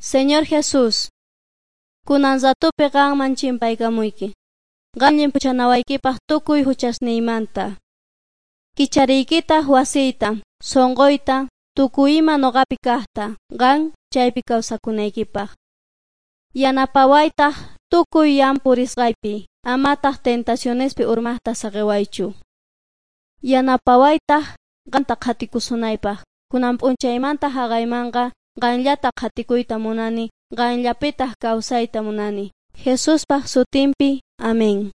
Señor Jesús, kunan ratupi qanman chimpaykamuyki. Qam llimpuchanawaykipaq tukuy huchasniymanta. Kichariykitaq wasiyta, sunquyta, tukuy ima nuqapi kaqta, qan chaypi kawsakunaykipaq. Yanapawaytaq tukuy yan purisqaypi, amataq tentacionespi urmaqta saqiwaychu. Yanapawaytaq qanta qhatikusunaypaq. Kunan p'unchaymanta haqaymanqa qanllata qhatikuyta munani, qanllapitaq kawsayta munani. Jesuspaq sutinpi. Amén.